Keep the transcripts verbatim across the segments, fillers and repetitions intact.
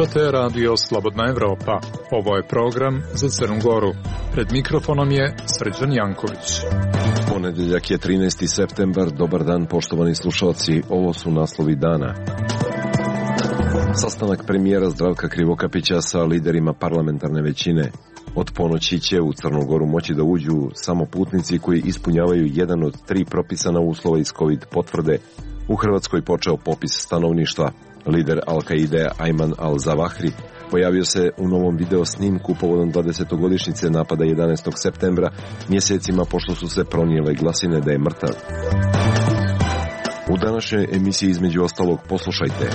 Slušate Radio Slobodna Evropa. Ovo je program za Crnu Goru. Pred mikrofonom je Srđan Janković. Ponedeljak je trinaesti septembar. Dobar dan, poštovani slušalci. Ovo su naslovi dana. Sastanak premijera Zdravka Krivokapića sa liderima parlamentarne većine. Od ponoći će u Crnu Goru moći da uđu samo putnici koji ispunjavaju jedan od tri propisana uslova iz COVID potvrde. U Hrvatskoj počeo popis stanovništva. Lider Al-Kaide Ayman al-Zawahri pojavio se u novom video snimku povodom dvadesetogodišnjice napada jedanaestog septembra, mjesecima pošto su se pronijele glasine da je mrtav. U današnjoj emisiji između ostalog poslušajte.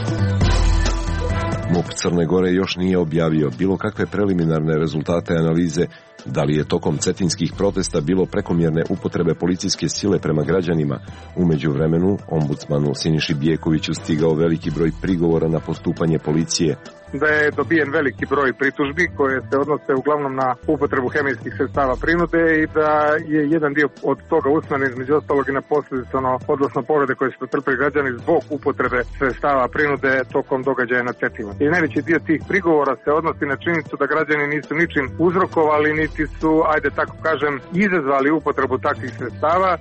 MUP Crne Gore još nije objavio bilo kakve preliminarne rezultate analize da li je tokom cetinskih protesta bilo prekomjerne upotrebe policijske sile prema građanima. U međuvremenu, ombudsmanu Siniši Bijekoviću stigao veliki broj prigovora na postupanje policije. Da je dobijen veliki broj pritužbi koje se odnose uglavnom na upotrebu hemijskih sredstava prinude i da je jedan dio od toga usmeren između ostalog i na posljedice, odnosno povrede koje su pretrpeli građani zbog upotrebe sredstava prinude tokom događaja na Cetinju. I najveći dio tih prigovora se odnosi na činjenicu da građani nisu ničim uzrokovali, niti su, ajde tako kažem, izazvali upotrebu takvih sredstava.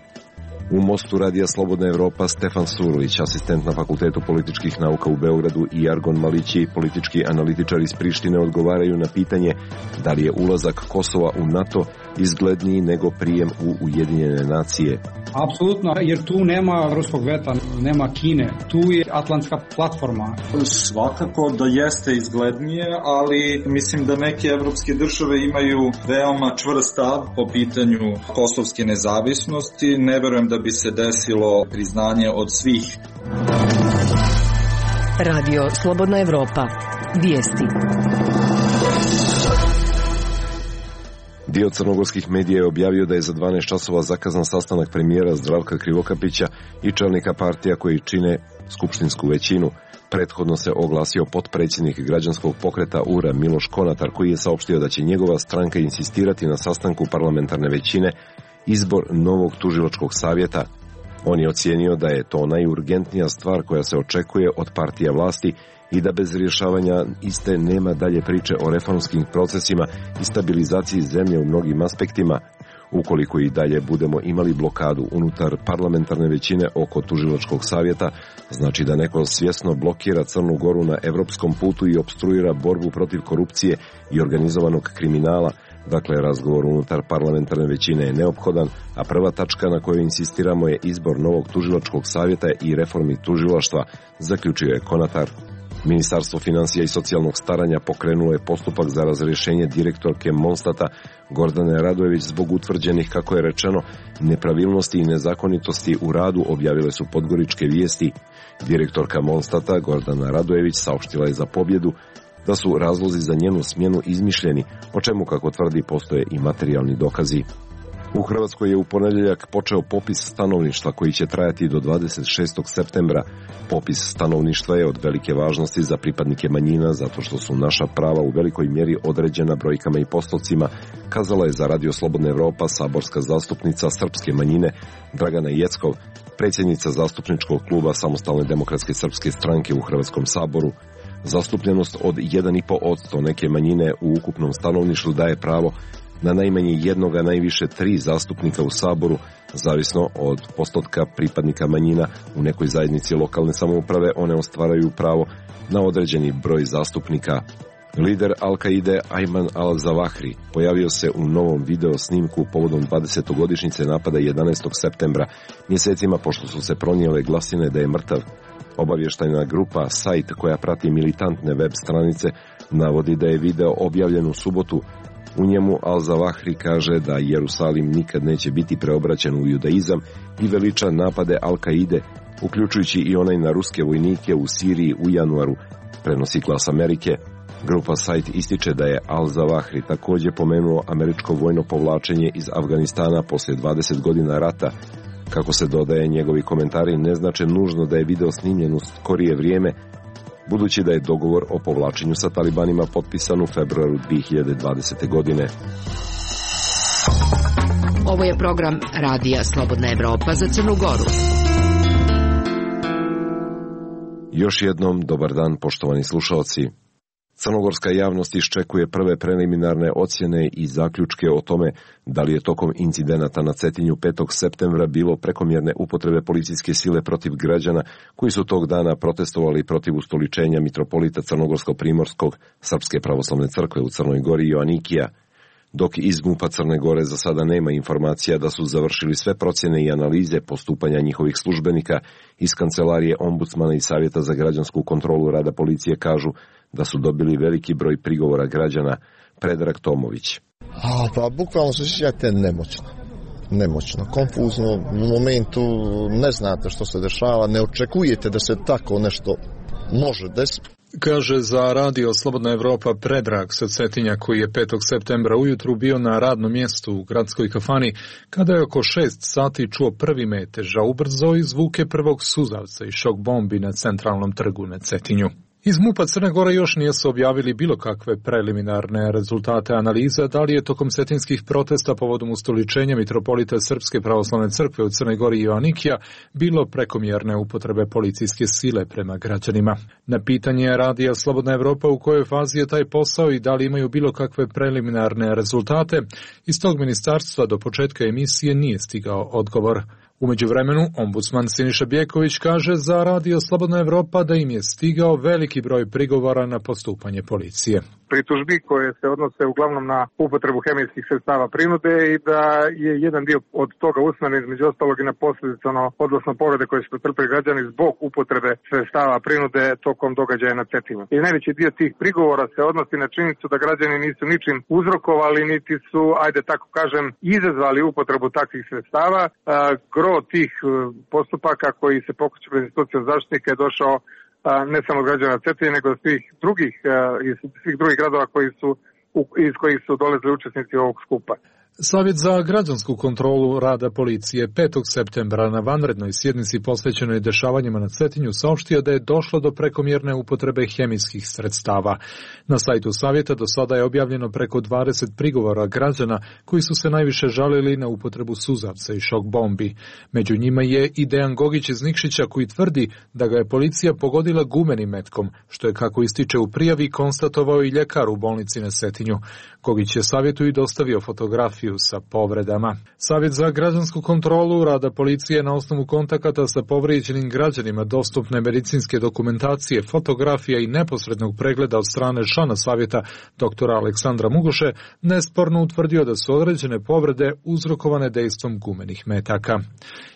U Mostu Radija Slobodna Evropa Stefan Surović, asistent na Fakultetu političkih nauka u Beogradu, i Argon Malići, politički analitičar iz Prištine, odgovaraju na pitanje da li je ulazak Kosova u NATO izgledniji nego prijem u Ujedinjene nacije. Apsolutno, jer tu nema ruskog veta, nema Kine, tu je atlantska platforma. Svakako da jeste izglednije, ali mislim da neke evropske države imaju veoma čvrst stav po pitanju kosovske nezavisnosti. Ne verujem da bi se desilo priznanje od svih. Radio Slobodna Evropa. Vijesti. Dio crnogorskih medija je objavio da je za dvanaest časova zakazan sastanak premijera Zdravka Krivokapića i čelnika partija koji čine skupštinsku većinu. Prethodno se oglasio potpredsjednik građanskog pokreta U R A Miloš Konatar, koji je saopštio da će njegova stranka insistirati na sastanku parlamentarne većine izbor novog tužilačkog savjeta. On je ocijenio da je to najurgentnija stvar koja se očekuje od partija vlasti i da bez rješavanja iste nema dalje priče o reformskim procesima i stabilizaciji zemlje u mnogim aspektima. Ukoliko i dalje budemo imali blokadu unutar parlamentarne većine oko tužilačkog savjeta, znači da neko svjesno blokira Crnu Goru na evropskom putu i opstruira borbu protiv korupcije i organizovanog kriminala. Dakle, razgovor unutar parlamentarne većine je neophodan, a prva tačka na kojoj insistiramo je izbor novog tužilačkog savjeta i reformi tužilaštva, zaključio je Konatar. Ministarstvo financija i socijalnog staranja pokrenulo je postupak za razrješenje direktorke Monstata Gordane Radojević zbog utvrđenih, kako je rečeno, nepravilnosti i nezakonitosti u radu, objavile su podgoričke vijesti. Direktorka Monstata Gordana Radojević saopštila je za Pobjedu da su razlozi za njenu smjenu izmišljeni, o čemu, kako tvrdi, postoje i materijalni dokazi. U Hrvatskoj je u ponedjeljak počeo popis stanovništva koji će trajati do dvadeset šestog septembra. Popis stanovništva je od velike važnosti za pripadnike manjina zato što su naša prava u velikoj mjeri određena brojkama i postocima, kazala je za Radio Slobodna Evropa saborska zastupnica srpske manjine Dragana Jeckov, predsjednica zastupničkog kluba Samostalne demokratske srpske stranke u Hrvatskom saboru. Zastupljenost od jedan zarez pet posto neke manjine u ukupnom stanovništvu daje pravo na najmanje jednoga, najviše tri zastupnika u Saboru, zavisno od postotka pripadnika manjina u nekoj zajednici lokalne samouprave. One ostvaraju pravo na određeni broj zastupnika. Lider Al-Kaide Ayman al-Zawahri pojavio se u novom video snimku povodom dvadesetogodišnjice napada jedanaestog septembra, mjesecima pošto su se pronijele glasine da je mrtav. Obavještajna grupa Sajt, koja prati militantne web stranice, navodi da je video objavljen u subotu. U njemu al-Zawahri kaže da Jerusalim nikad neće biti preobraćen u judaizam i veliča napade Al-Kaide, uključujući i onaj na ruske vojnike u Siriji u januaru, prenosi Glas Amerike. Grupa Sajt ističe da je al-Zawahri također pomenuo američko vojno povlačenje iz Afganistana poslije dvadeset godina rata. Kako se dodaje, njegovi komentari ne znače nužno da je video snimljen u skorije vrijeme, budući da je dogovor o povlačenju sa talibanima potpisan u februaru dvije hiljade dvadesete. godine. Ovo je program Radija Slobodna Evropa za Crnu Goru. Još jednom dobar dan, poštovani slušalci. Crnogorska javnost iščekuje prve preliminarne ocjene i zaključke o tome da li je tokom incidenata na Cetinju petog septembra bilo prekomjerne upotrebe policijske sile protiv građana koji su tog dana protestovali protiv ustoličenja mitropolita Crnogorsko-Primorskog Srpske pravoslavne crkve u Crnoj Gori Joanikija. Dok iz MUP-a Crne Gore za sada nema informacija da su završili sve procjene i analize postupanja njihovih službenika, iz kancelarije ombudsmana i Savjeta za građansku kontrolu rada policije kažu da su dobili veliki broj prigovora građana. Predrag Tomović. A, pa bukvalno se osjećate nemoćno. Nemoćno, konfuzno, u momentu ne znate što se dešava, ne očekujete da se tako nešto može desiti. Kaže za radio Slobodna Evropa Predrag sa Cetinja, koji je petog septembra ujutru bio na radnom mjestu u gradskoj kafani, kada je oko šest sati čuo prvi metež, a ubrzo i zvuke prvog suzavca i šok bombi na centralnom trgu na Cetinju. Iz MUP-a Crne Gore još nisu objavili bilo kakve preliminarne rezultate analiza da li je tokom cetinskih protesta povodom ustoličenja mitropolita Srpske pravoslavne crkve u Crnoj Gori Joanikija bilo prekomjerne upotrebe policijske sile prema građanima. Na pitanje radija Slobodna Evropa u kojoj fazi je taj posao i da li imaju bilo kakve preliminarne rezultate, iz tog ministarstva do početka emisije nije stigao odgovor. U međuvremenu, ombudsman Siniša Bjeković kaže za radio Slobodna Evropa da im je stigao veliki broj prigovora na postupanje policije. Pritužbi koje se odnose uglavnom na upotrebu hemijskih sredstava prinude i da je jedan dio od toga usmeren između ostalog i na posljedice, odnosno povrede koje su pretrpeli građani zbog upotrebe sredstava prinude tokom događaja na Cetinju. I najveći dio tih prigovora se odnosi na činjenicu da građani nisu ničim uzrokovali, niti su, ajde tako kažem, izazvali upotrebu takvih sredstava. Gro tih postupaka koji se pokreću pred institucijom zaštitnika je došao ne samo građana Cetinja, nego svih drugih, iz svih drugih gradova koji su, iz kojih su dolazili učesnici ovog skupa. Savjet za građansku kontrolu rada policije petog septembra na vanrednoj sjednici posvećenoj dešavanjima na Cetinju saopštio da je došlo do prekomjerne upotrebe hemijskih sredstava. Na sajtu Savjeta do sada je objavljeno preko dvadeset prigovora građana koji su se najviše žalili na upotrebu suzavca i šok bombi. Među njima je i Dejan Gogić iz Nikšića koji tvrdi da ga je policija pogodila gumenim metkom, što je, kako ističe u prijavi, konstatovao i ljekar u bolnici na Cetinju. Gogić je Savjetu i dostavio fotografiju sa povredama. Savjet za građansku kontrolu rada policije na osnovu kontakata sa povrijeđenim građanima, dostupne medicinske dokumentacije, fotografija i neposrednog pregleda od strane člana Savjeta doktora Aleksandra Mugoše nesporno utvrdio da su određene povrede uzrokovane dejstvom gumenih metaka.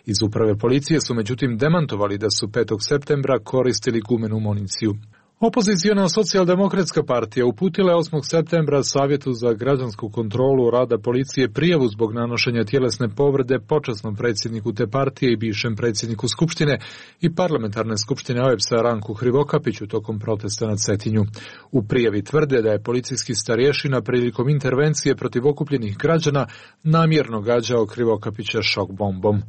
Iz uprave policije su međutim demantovali da su petog septembra koristili gumenu municiju. Opoziciona socijaldemokratska partija uputila je osmog septembra Savjetu za građansku kontrolu rada policije prijavu zbog nanošenja tjelesne povrede počasnom predsjedniku te partije i bivšem predsjedniku Skupštine i parlamentarne skupštine O E B S-a Ranku Hrivokapiću tokom protesta na Cetinju. U prijavi tvrde da je policijski starješina prilikom intervencije protiv okupljenih građana namjerno gađao Hrivokapića šok bombom.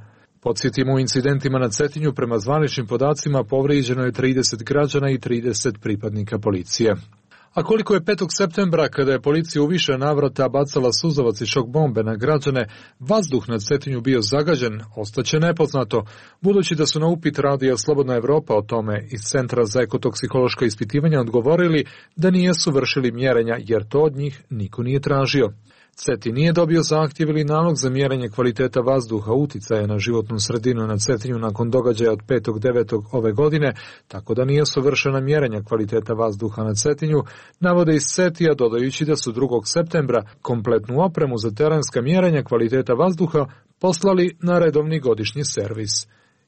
Podsjetimo, u incidentima na Cetinju prema zvaničnim podacima povrijeđeno je trideset građana i trideset pripadnika policije. A koliko je petog septembra, kada je policija u više navrata bacala suzavac i šok bombe na građane, vazduh na Cetinju bio zagađen, ostaće nepoznato, budući da su na upit radija Slobodna Evropa o tome iz Centra za ekotoksikološka ispitivanja odgovorili da nisu vršili mjerenja jer to od njih niko nije tražio. Cetin nije dobio zahtjev ili nalog za mjerenje kvaliteta vazduha uticaja na životnu sredinu na Cetinju nakon događaja od petog devetog ove godine, tako da nije vršena mjerenja kvaliteta vazduha na Cetinju, navode iz Cetija, dodajući da su drugog septembra kompletnu opremu za terenska mjerenja kvaliteta vazduha poslali na redovni godišnji servis.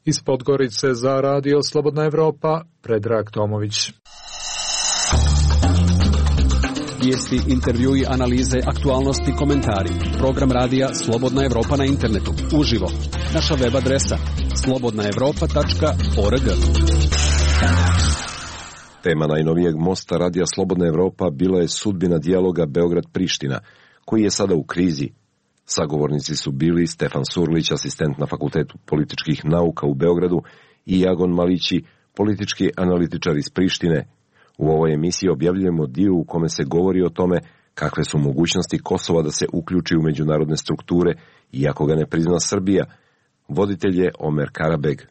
Iz Podgorice za radio Slobodna Evropa, Predrag Tomović. Vijesti, intervjui, analize, aktualnosti, komentari. Program radija Slobodna Evropa na internetu. Uživo. Naša web adresa slobodna evropa tačka org. Tema najnovijeg mosta radija Slobodna Evropa bila je sudbina dijaloga Beograd-Priština, koji je sada u krizi. Sagovornici su bili Stefan Surlić, asistent na Fakultetu političkih nauka u Beogradu, i Jagon Malići, politički analitičar iz Prištine. U ovoj emisiji objavljujemo dio u kome se govori o tome kakve su mogućnosti Kosova da se uključi u međunarodne strukture, iako ga ne prizna Srbija. Voditelj je Omer Karabeg.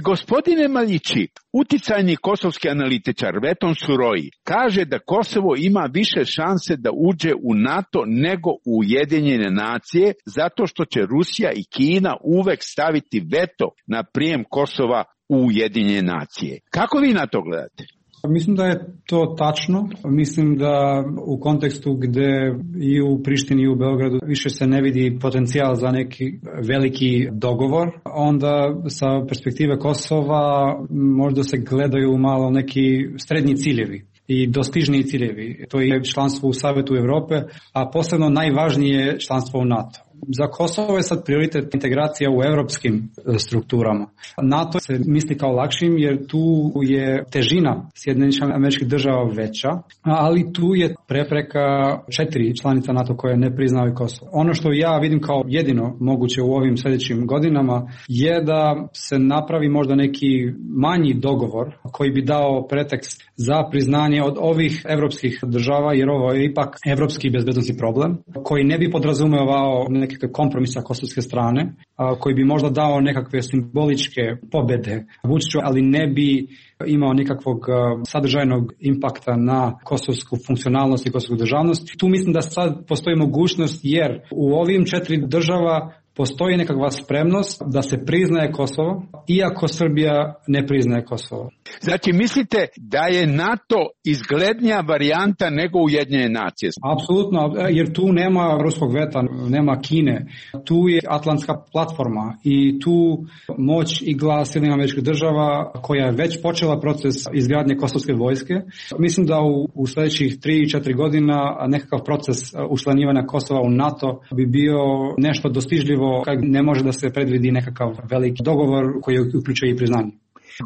Gospodine Maljići, uticajni kosovski analitičar Veton Suroji kaže da Kosovo ima više šanse da uđe u NATO nego u Ujedinjene nacije zato što će Rusija i Kina uvek staviti veto na prijem Kosova u Ujedinjene nacije. Kako vi na to gledate? Mislim da je to tačno. Mislim da u kontekstu gde i u Prištini i u Beogradu više se ne vidi potencijal za neki veliki dogovor, onda sa perspektive Kosova možda se gledaju malo neki srednji ciljevi i dostižniji ciljevi. To je članstvo u Savetu Evrope, a posebno najvažnije je članstvo u NATO. Za Kosovo je sad prioritet integracija u evropskim strukturama. NATO se misli kao lakšim jer tu je težina Sjedinjenih Američkih Država veća, ali tu je prepreka četiri članica NATO koje ne priznaju Kosovo. Ono što ja vidim kao jedino moguće u ovim sljedećim godinama je da se napravi možda neki manji dogovor koji bi dao pretekst za priznanje od ovih evropskih država, jer ovo je ipak evropski bezbednosni problem koji ne bi podrazumevao nekakve kompromisa kosovske strane, a, koji bi možda dao nekakve simboličke pobede Vučiću, ali ne bi imao nikakvog a, sadržajnog impakta na kosovsku funkcionalnost i kosovsku državnost. Tu mislim da sad postoji mogućnost jer u ovim četiri država postoji nekakva spremnost da se priznaje Kosovo, iako Srbija ne priznaje Kosovo. Znači, mislite da je NATO izglednija varijanta nego Ujedinjene nacije? Apsolutno, jer tu nema ruskog veta, nema Kine. Tu je atlantska platforma i tu moć i glas Sjedinjenih Američkih Država koja je već počela proces izgradnje kosovske vojske. Mislim da u, u sljedećih tri i četiri godina nekakav proces učlanjivanja Kosova u NATO bi bio nešto dostižljivo kad ne može da se predvidi nekakav veliki dogovor koji uključuje i priznanje.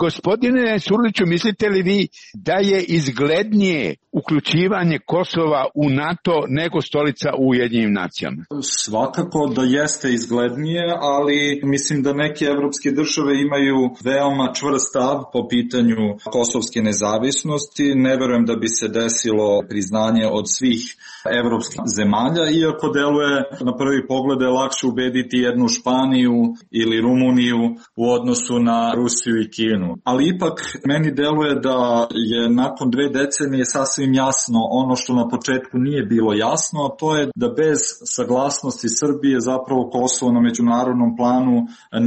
Gospodine Surliću, mislite li vi da je izglednije uključivanje Kosova u NATO nego stolica u Ujedinjenim nacijama? Svakako da jeste izglednije, ali mislim da neke evropske države imaju veoma čvrst stav po pitanju kosovske nezavisnosti. Ne verujem da bi se desilo priznanje od svih evropskih zemalja, iako deluje na prvi pogled je lakše ubediti jednu Španiju ili Rumuniju u odnosu na Rusiju i Kinu. Ali ipak meni deluje da je nakon dve decenije sasvim jasno ono što na početku nije bilo jasno, a to je da bez saglasnosti Srbije zapravo Kosovo na međunarodnom planu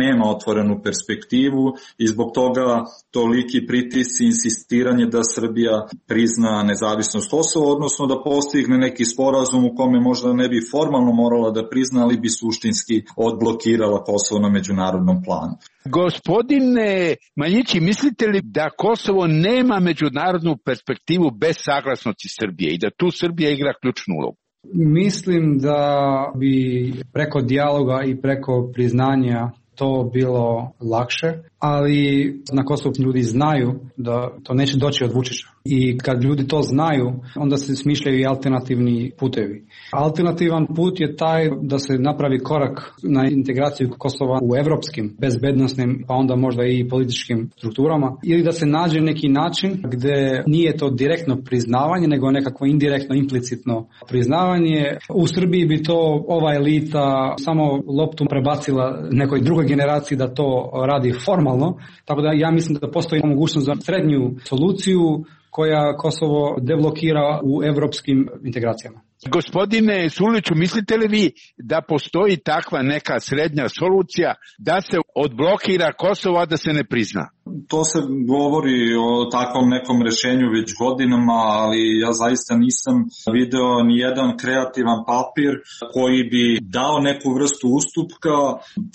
nema otvorenu perspektivu i zbog toga toliki pritisci i insistiranje da Srbija prizna nezavisnost Kosova, odnosno da postigne neki sporazum u kome možda ne bi formalno morala da prizna, ali bi suštinski odblokirala Kosovo na međunarodnom planu. Gospodine Maljići, mislite li da Kosovo nema međunarodnu perspektivu bez saglasnosti Srbije i da tu Srbija igra ključnu ulogu? Mislim da bi preko dijaloga i preko priznanja to bilo lakše, ali na Kosovu ljudi znaju da to neće doći od Vučića. I kad ljudi to znaju, onda se smišljaju i alternativni putevi. Alternativan put je taj da se napravi korak na integraciju Kosova u evropskim, bezbednosnim, pa onda možda i političkim strukturama, ili da se nađe neki način gde nije to direktno priznavanje, nego nekako indirektno, implicitno priznavanje. U Srbiji bi to ova elita samo loptu prebacila nekoj drugoj generaciji da to radi formalno, tako da ja mislim da postoji mogućnost za srednju soluciju koja Kosovo deblokira u evropskim integracijama. Gospodine Surliću, mislite li vi da postoji takva neka srednja solucija da se odblokira Kosovo, a da se ne prizna? To se govori o takvom nekom rešenju već godinama, ali ja zaista nisam video ni jedan kreativan papir koji bi dao neku vrstu ustupka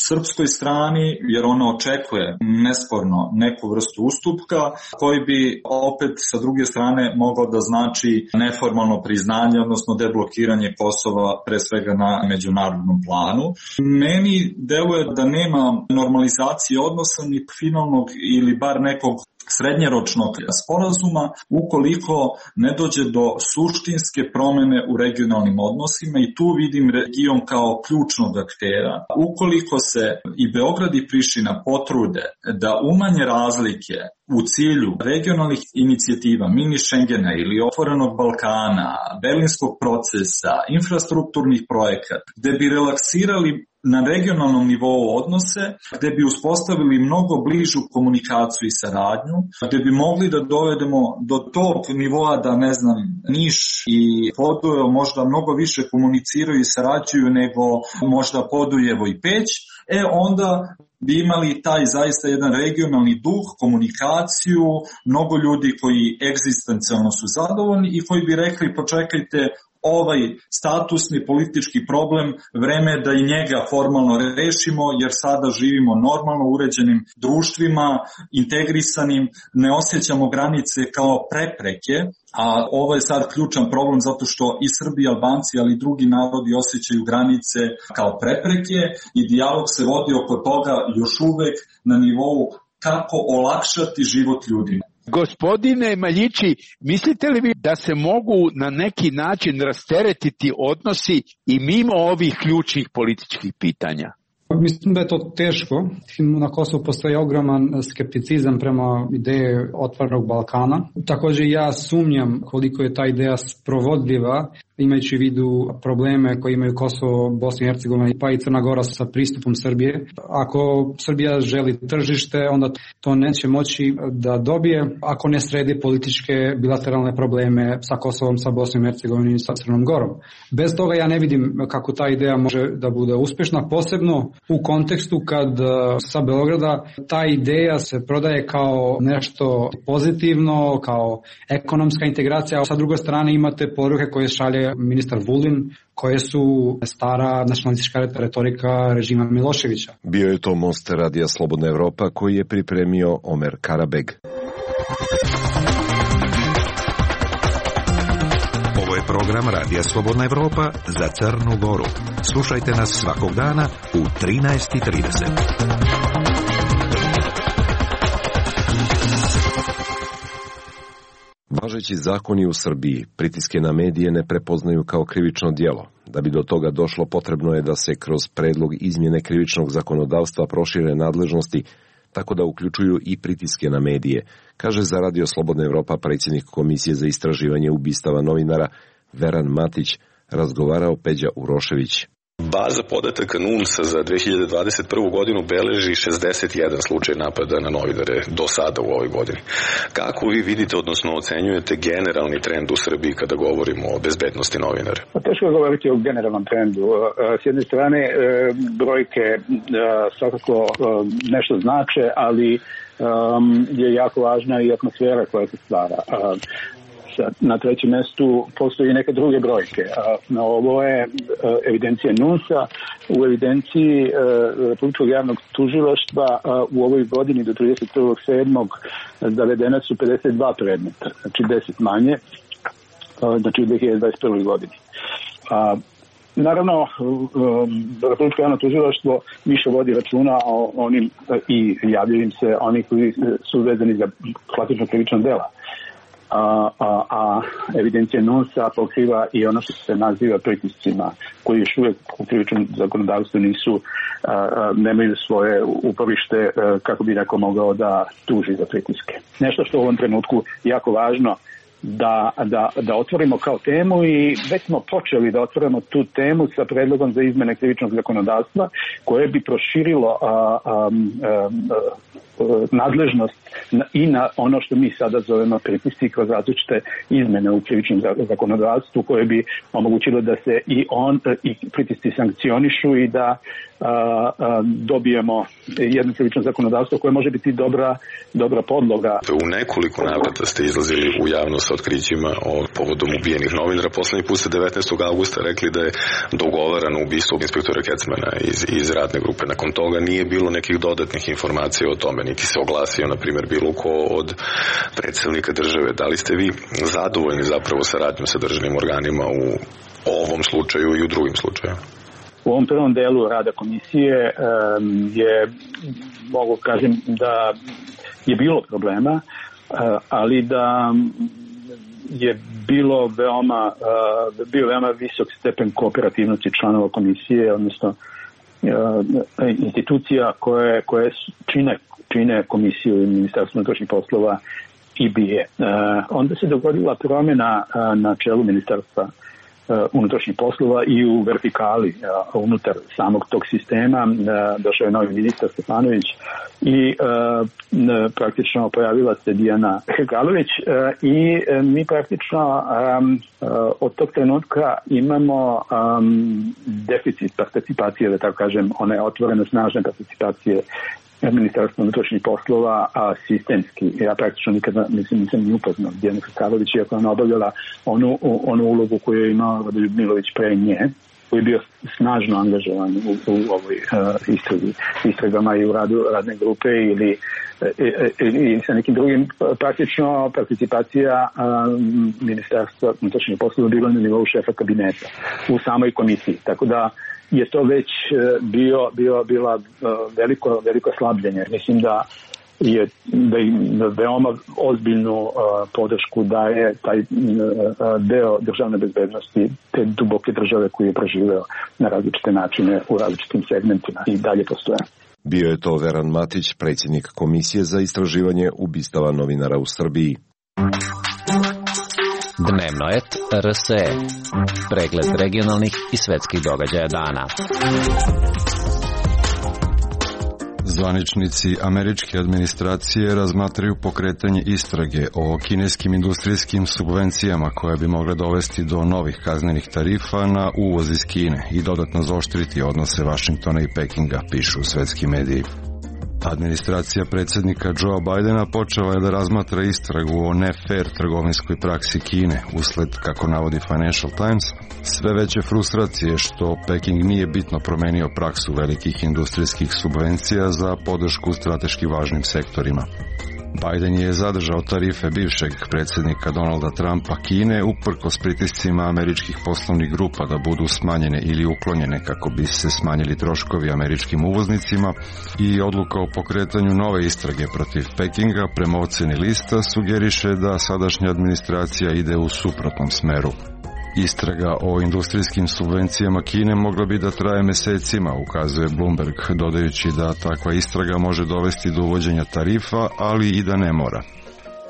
srpskoj strani, jer ona očekuje nesporno neku vrstu ustupka, koji bi opet sa druge strane mogao da znači neformalno priznanje, odnosno deblokiranje Kosova pre svega na međunarodnom planu. Meni deluje da nema normalizacije odnosa ni finalnog ili bar nekog srednjeročnog sporazuma ukoliko ne dođe do suštinske promene u regionalnim odnosima i tu vidim region kao ključnog aktera. Ukoliko se i Beograd i Priština potrude da umanje razlike u cilju regionalnih inicijativa, mini Schengena ili otvorenog Balkana, berlinskog procesa, infrastrukturnih projekata, gde bi relaksirali na regionalnom nivou odnose, gde bi uspostavili mnogo bližu komunikaciju i saradnju, gde bi mogli da dovedemo do tog nivoa da, ne znam, Niš i Podujevo možda mnogo više komuniciraju i sarađuju nego možda Podujevo i Peć, e onda bi imali taj zaista jedan regionalni duh, komunikaciju, mnogo ljudi koji egzistencijalno su zadovoljni i koji bi rekli počekajte, ovaj statusni politički problem, vreme je da i njega formalno rešimo, jer sada živimo normalno uređenim društvima, integrisanim, ne osjećamo granice kao prepreke, a ovo je sad ključan problem zato što i Srbi i Albanci, ali i drugi narodi osjećaju granice kao prepreke i dijalog se vodi oko toga još uvek na nivou kako olakšati život ljudima. Gospodine Maljići, mislite li vi da se mogu na neki način rasteretiti odnosi i mimo ovih ključnih političkih pitanja? Mislim da je to teško. Na Kosovu postoji ogroman skepticizam prema ideje otvorenog Balkana. Također ja sumnjam koliko je ta ideja sprovodljiva, imajući u vidu probleme koje imaju Kosovo, Bosna i Hercegovina pa i Crna Gora sa pristupom Srbije. Ako Srbija želi tržište, onda to neće moći da dobije ako ne sredi političke bilateralne probleme sa Kosovom, sa Bosnom i Hercegovinom i sa Crnom Gorom. Bez toga ja ne vidim kako ta ideja može da bude uspešna, posebno u kontekstu kad sa Beograda ta ideja se prodaje kao nešto pozitivno, kao ekonomska integracija, a sa druge strane imate poruke koje šalje ministar Vulin, koje su stara nacionalistička retorika režima Miloševića. Bio je to Most Radija Slobodna Evropa koji je pripremio Omer Karabeg. Ovo je program Radija Slobodna Evropa za Crnu Goru. Slušajte nas svakog dana u trinaest i trideset. Važeći zakoni u Srbiji pritiske na medije ne prepoznaju kao krivično djelo. Da bi do toga došlo, potrebno je da se kroz predlog izmjene krivičnog zakonodavstva prošire nadležnosti, tako da uključuju i pritiske na medije, kaže za Radio Slobodna Evropa predsjednik Komisije za istraživanje ubistava novinara Veran Matić, razgovarao Peđa Urošević. Baza podataka NUNS-a za dve hiljade dvadeset prvu godinu beleži šezdeset jedan slučaj napada na novinare do sada u ovoj godini. Kako vi vidite, odnosno ocenjujete generalni trend u Srbiji kada govorimo o bezbednosti novinara? Teško je govoriti o generalnom trendu. S jedne strane, brojke svakako nešto znače, ali je jako važna i atmosfera koja se stvara. Na trećem mjestu postoji neke druge brojke. Ovo je evidencija NUNS-a. U evidenciji Republičkog javnog tužilaštva u ovoj godini do trideset prvog sedmog zavedena su pedeset dva predmeta, znači deset manje, znači u dve hiljade dvadeset prvoj godini. Naravno, Republičko javno tužilaštvo više vodi računa o onim i javljaju im se oni koji su vezani za klasično krivično dela. A, a, a evidencija NUNS-a pokriva i ono što se naziva pritiscima, koji još uvijek u krivičnom zakonodavstvu nisu, a, a, nemaju svoje uporište a, kako bi neko mogao da tuži za pritiske. Nešto što u ovom trenutku jako važno da, da, da otvorimo kao temu i već smo počeli da otvorimo tu temu sa predlogom za izmene krivičnog zakonodavstva koje bi proširilo a, a, a, a, nadležnost i na ono što mi sada zovemo pritisci kroz različite izmene u krivičnom zakonodavstvu koje bi omogućilo da se i on i pritisci sankcionišu i da a, a, dobijemo jedno krivično zakonodavstvo koje može biti dobra, dobra podloga. U nekoliko navrata ste izlazili u javnost sa otkrićima o povodom ubijenih novinara. Poslednji put ste devetnaestog avgusta rekli da je dogovarano ubistvo inspektora Kecmana iz, iz radne grupe. Nakon toga nije bilo nekih dodatnih informacija o tome, niti se oglasio, na primjer, bilo ko od predstavnika države. Da li ste vi zadovoljni zapravo saradnjom sa državnim organima u ovom slučaju i u drugim slučajima? U ovom prvom delu rada komisije um, je, mogu kažem da je bilo problema, uh, ali da je bilo veoma, uh, bio veoma visok stepen kooperativnosti članova komisije, odnosno institucija koje, koje čine, čine komisiju i Ministarstvo unutrašnjih poslova i B I A. Onda se dogodila promjena na čelu Ministarstva unutrašnjih poslova i u vertikali unutar samog tog sistema. Došao je novi ministar Stefanović i praktično pojavila se Dijana Galović i mi praktično od tog trenutka imamo deficit participacije, da tako kažem, one otvorene snažne participacije Ministarstva unutrašnjih poslova, a sistemski. Ja praktično nikada mislim, nisam ni upoznao Dijana Hrkalović, iako je ona obavljala onu, onu ulogu koju je imao Radoljub Milović pre nje, koji je bio snažno angažovan u, u ovoj uh, istragi, istragama i u radu radne grupe ili i, i sa nekim drugim. Praktično participacija um, Ministarstva unutrašnjih poslova bila na nivou šefa kabineta u samoj komisiji. Tako da je to već bio, bio, bila veliko, veliko slabljenje. Mislim da je da im veoma ozbiljnu uh, podršku daje taj uh, deo državne bezbednosti, te duboke države koje je preživeo na različite načine u različitim segmentima i dalje postoje. Bio je to Veran Matić, predsjednik Komisije za istraživanje ubistava novinara u Srbiji. Dnevnoet R S E. Pregled regionalnih i svetskih događaja dana. Zvaničnici američke administracije razmatraju pokretanje istrage o kineskim industrijskim subvencijama koje bi mogle dovesti do novih kaznenih tarifa na uvoz iz Kine i dodatno zaoštriti odnose Vašingtona i Pekinga, pišu svetski mediji. Administracija predsjednika Joea Bidena počela je da razmatra istragu o ne-fair trgovinskoj praksi Kine, usled, kako navodi Financial Times, sve veće frustracije što Peking nije bitno promenio praksu velikih industrijskih subvencija za podršku strateški važnim sektorima. Biden je zadržao tarife bivšeg predsjednika Donalda Trumpa Kine uprkos pritiscima američkih poslovnih grupa da budu smanjene ili uklonjene kako bi se smanjili troškovi američkim uvoznicima, i odluka o pokretanju nove istrage protiv Pekinga prema oceni lista sugeriše da sadašnja administracija ide u suprotnom smeru. Istraga o industrijskim subvencijama Kine mogla bi da traje mesecima, ukazuje Bloomberg, dodajući da takva istraga može dovesti do uvođenja tarifa, ali i da ne mora.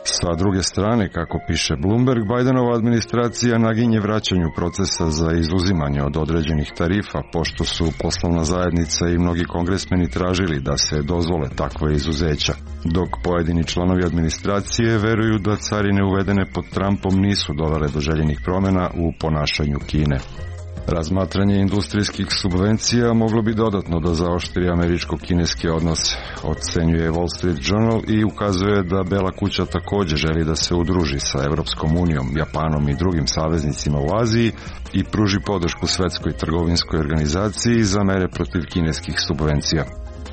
Sa druge strane, kako piše Bloomberg, Bidenova administracija naginje vraćanju procesa za izuzimanje od određenih tarifa, pošto su poslovna zajednica i mnogi kongresmeni tražili da se dozvole takve izuzeća, dok pojedini članovi administracije veruju da carine uvedene pod Trumpom nisu dovele do željenih promjena u ponašanju Kine. Razmatranje industrijskih subvencija moglo bi dodatno da zaoštri američko-kineske odnose, ocenjuje Wall Street Journal i ukazuje da Bela kuća također želi da se udruži sa Evropskom unijom, Japanom i drugim saveznicima u Aziji i pruži podršku Svetskoj trgovinskoj organizaciji za mere protiv kineskih subvencija.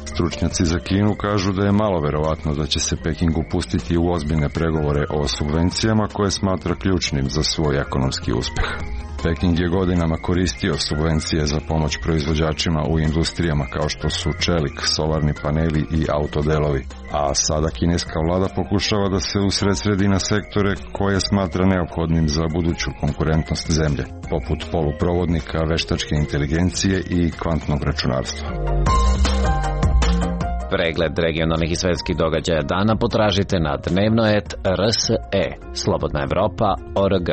Stručnjaci za Kinu kažu da je malo verovatno da će se Peking upustiti u ozbiljne pregovore o subvencijama koje smatra ključnim za svoj ekonomski uspeh. Peking je godinama koristio subvencije za pomoć proizvođačima u industrijama kao što su čelik, solarni paneli i autodelovi, a sada kineska vlada pokušava da se usredsredi na sektore koje smatra neophodnim za buduću konkurentnost zemlje, poput poluprovodnika, veštačke inteligencije i kvantnog računarstva. Pregled regionalnih i svetskih događaja dana potražite na dnevnoet R S E, Slobodna Evropa, O R G.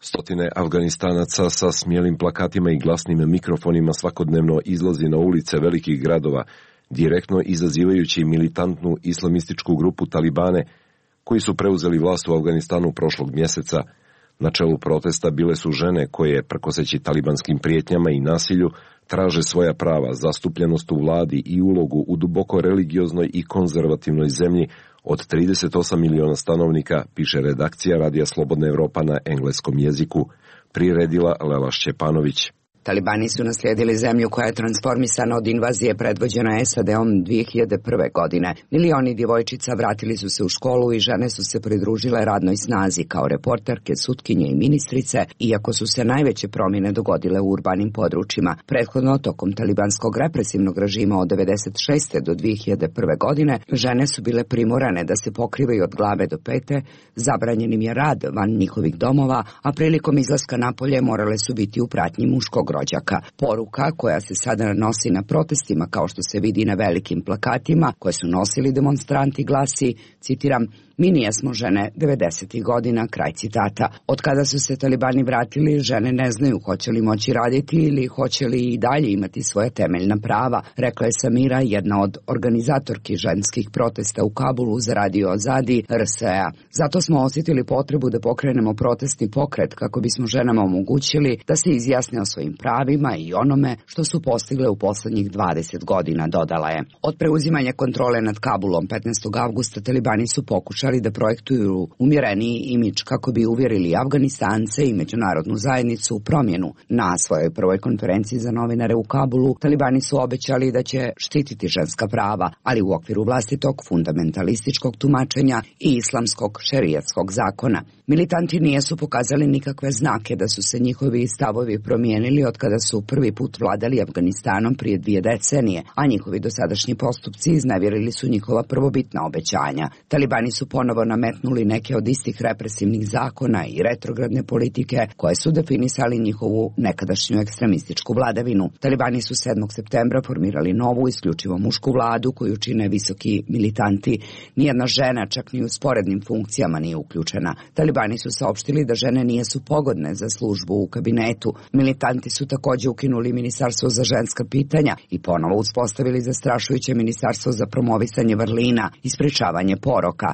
Stotine Afganistanaca sa smijelim plakatima i glasnim mikrofonima svakodnevno izlazi na ulice velikih gradova, direktno izazivajući militantnu islamističku grupu Talibane, koji su preuzeli vlast u Afganistanu prošlog mjeseca. Na čelu protesta bile su žene koje, prkoseći talibanskim prijetnjama i nasilju, traže svoja prava, zastupljenost u vladi i ulogu u duboko religioznoj i konzervativnoj zemlji od trideset osam miliona stanovnika, piše redakcija Radija Slobodna Evropa na engleskom jeziku, priredila Lela Šćepanović. Talibani su naslijedili zemlju koja je transformisana od invazije predvođena S A D-om dvije hiljade prve. godine. Milioni djevojčica vratili su se u školu i žene su se pridružile radnoj snazi kao reporterke, sutkinje i ministrice, iako su se najveće promjene dogodile u urbanim područjima. Prethodno, tokom talibanskog represivnog režima od devedeset šeste. do dvije hiljade prve. godine, žene su bile primorane da se pokrivaju od glave do pete, zabranjenim je rad van njihovih domova, a prilikom izlaska napolje morale su biti u pratnji muškog rođaka. Poruka koja se sada nosi na protestima, kao što se vidi na velikim plakatima koje su nosili demonstranti, glasi, citiram, mi nijesmo žene devedesetih godina, kraj citata. Od kada su se talibani vratili, žene ne znaju hoće li moći raditi ili hoće li i dalje imati svoja temeljna prava, rekla je Samira, jedna od organizatorki ženskih protesta u Kabulu za radio Azadi R S E-a. Zato smo osjetili potrebu da pokrenemo protestni pokret kako bismo ženama omogućili da se izjasne o svojim pravima i onome što su postigle u poslednjih dvadeset godina, dodala je. Od preuzimanja kontrole nad Kabulom petnaestog avgusta talibani su pokušali da projektuju umjereniji imidž kako bi uvjerili Afganistance i međunarodnu zajednicu u promjenu. Na svojoj prvoj konferenciji za novinare u Kabulu talibani su obećali da će štititi ženska prava, ali u okviru vlastitog fundamentalističkog tumačenja i islamskog šerijatskog zakona. Militanti nijesu pokazali nikakve znake da su se njihovi stavovi promijenili od kada su prvi put vladali Afganistanom prije dvije decenije, a njihovi dosadašnji postupci iznevjerili su njihova prvobitna obećanja. Talibani su ponovo nametnuli neke od istih represivnih zakona i retrogradne politike koje su definisali njihovu nekadašnju ekstremističku vladavinu. Talibani su sedmog septembra formirali novu isključivo mušku vladu koju čine visoki militanti. Nijedna žena, čak ni u sporednim funkcijama, nije uključena. Talibani su saopštili da žene nijesu pogodne za službu u kabinetu. Militanti su također ukinuli Ministarstvo za ženska pitanja i ponovo uspostavili zastrašujuće Ministarstvo za promovisanje vrlina i sprečavanje poroka.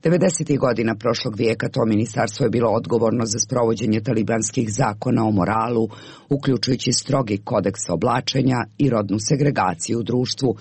devedesetih godina prošlog vijeka to ministarstvo je bilo odgovorno za sprovođenje talibanskih zakona o moralu, uključujući strogi kodeks oblačenja i rodnu segregaciju u društvu.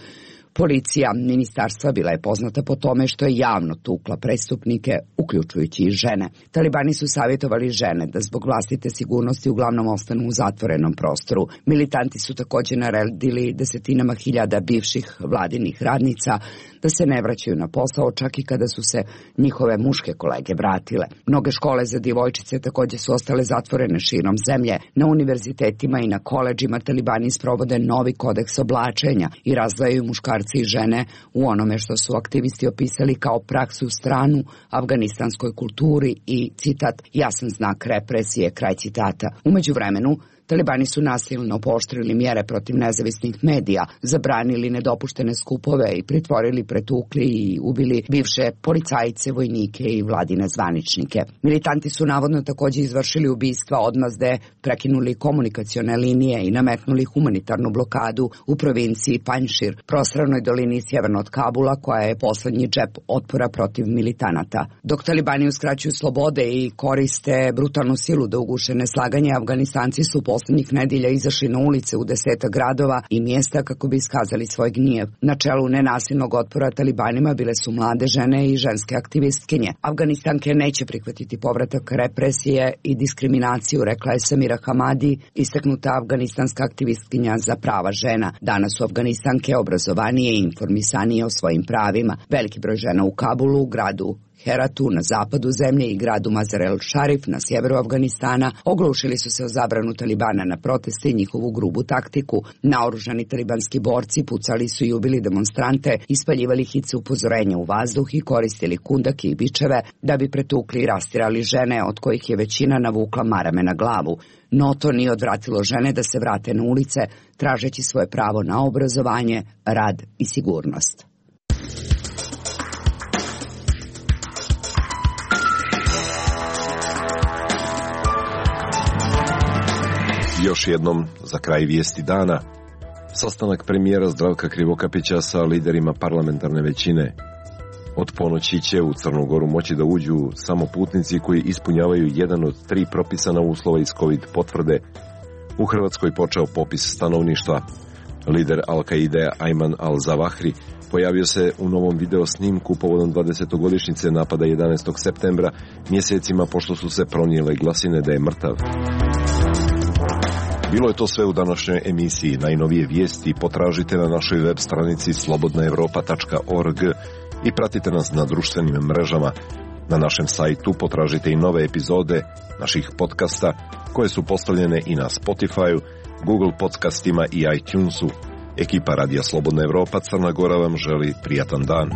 Policija ministarstva bila je poznata po tome što je javno tukla prestupnike, uključujući i žene. Talibani su savjetovali žene da zbog vlastite sigurnosti uglavnom ostanu u zatvorenom prostoru. Militanti su također naredili desetinama hiljada bivših vladinih radnica da se ne vraćaju na posao čak i kada su se njihove muške kolege vratile. Mnoge škole za djevojčice također su ostale zatvorene širom zemlje. Na univerzitetima i na koledžima talibani sprovode novi kodeks oblačenja i razdvajaju muškarce i žene u onome što su aktivisti opisali kao praksu stranu afganistanskoj kulturi i, citat, jasan znak represije, kraj citata. U međuvremenu, talibani su nasilno pooštrili mjere protiv nezavisnih medija, zabranili nedopuštene skupove i pritvorili, pretukli i ubili bivše policajce, vojnike i vladine zvaničnike. Militanti su navodno također izvršili ubistva, odmazde, prekinuli komunikacione linije i nametnuli humanitarnu blokadu u provinciji Panjšir, prostranoj dolini sjeverno od Kabula, koja je poslednji džep otpora protiv militanata. Dok talibani uskraćuju slobode i koriste brutalnu silu da uguše neslaganje, Afganistanci su poslednjih nedjelja izašli na ulice u deseta gradova i mjesta kako bi iskazali svoj gnjev. Na čelu nenasilnog otpora talibanima bile su mlade žene i ženske aktivistkinje. Afganistanke neće prihvatiti povratak represije i diskriminaciju, rekla je Samira Hamadi, istaknuta afganistanska aktivistkinja za prava žena. Danas su Afganistanke obrazovanije i informisanije o svojim pravima. Veliki broj žena u Kabulu, gradu Heratu na zapadu zemlje i gradu Mazar-el Sharif na sjeveru Afganistana oglušili su se o zabranu talibana na proteste i njihovu grubu taktiku. Naoružani talibanski borci pucali su i ubili demonstrante, ispaljivali hice upozorenja u vazduh i koristili kundake i bičeve da bi pretukli i rastirali žene, od kojih je većina navukla marame na glavu. No to nije odvratilo žene da se vrate na ulice, tražeći svoje pravo na obrazovanje, rad i sigurnost. Još jednom, za kraj vijesti dana, sastanak premijera Zdravka Krivokapića sa liderima parlamentarne većine. Od ponoći će u Crnu Goru moći da uđu samo putnici koji ispunjavaju jedan od tri propisana uslova iz COVID potvrde. U Hrvatskoj počeo popis stanovništva. Lider Al-Kaide Ayman al-Zawahri pojavio se u novom video snimku povodom dvadesetogodišnjice napada jedanaestog septembra, mjesecima pošto su se pronijele glasine da je mrtav. Bilo je to sve u današnjoj emisiji. Najnovije vijesti potražite na našoj web stranici slobodna evropa tačka org i pratite nas na društvenim mrežama. Na našem sajtu potražite i nove epizode naših podcasta koje su postavljene i na Spotify, Google podcastima i iTunesu. Ekipa Radija Slobodna Evropa Crna Gora vam želi prijatan dan.